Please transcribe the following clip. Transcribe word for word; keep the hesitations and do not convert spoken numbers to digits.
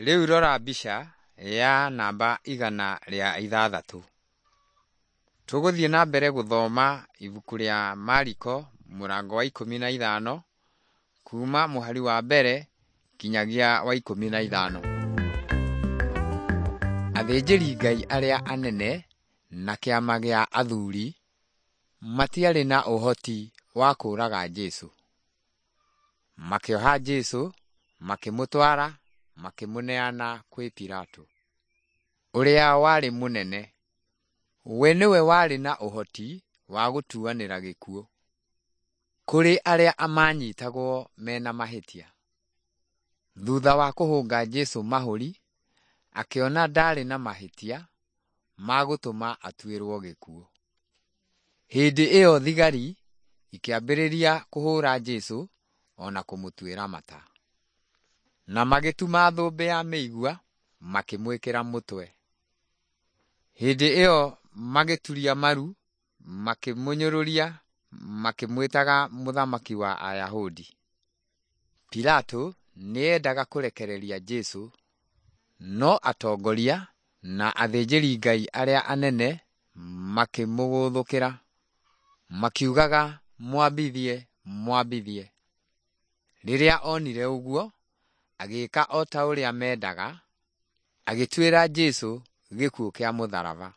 Rĩu rora mbica ya namba igana rĩa ithathatũ. Tũgũthiĩ na mbere gũthoma ibuku rĩa Mariko mũrango wa ikũmi na ithano kuma mũhari wa mbere nginyagia wa ikũmi na ithano. Athĩnjĩri-Ngai arĩa anene na kĩama gĩa athuri matiarĩ na ũhoti wa kũũraga Jesũ. Makĩoha Jesũ, makĩmũtwara, makĩmũneana kwĩ Pilato, ũrĩa warĩ mũnene. We nĩwe warĩ na ũhoti wa gũtuanĩra gĩkuũ kũrĩ arĩa maanyitagwo mena mahĩtia. Thutha wa kũhũnga Jesũ mahũri, akĩona ndaarĩ na mahĩtia ma gũtũma atuĩrwo gĩkuũ. Hĩndĩ ĩyo thigari ikĩambĩrĩria kũhũũra Jesũ o na kũmũtuĩra mata. Na magĩtuma thũmbĩ ya mĩigua makĩmwĩkĩra mũtwe. Hĩndĩ ĩyo magĩturia maru makĩmũnyũrũria makĩmwĩtaga mũthamaki wa Ayahudi. Pilato nĩendaga kũrekereria Jesũ, no atongoria na athĩnjĩri-Ngai arĩa anene makĩmũgũthũkĩra, makiugaga mwambithie, mwambithie. Rĩrĩa onire ũguo, agĩĩka o ta ũrĩa mendaga, agĩtuĩra Jesũ gĩkuũ kĩa mũtharaba.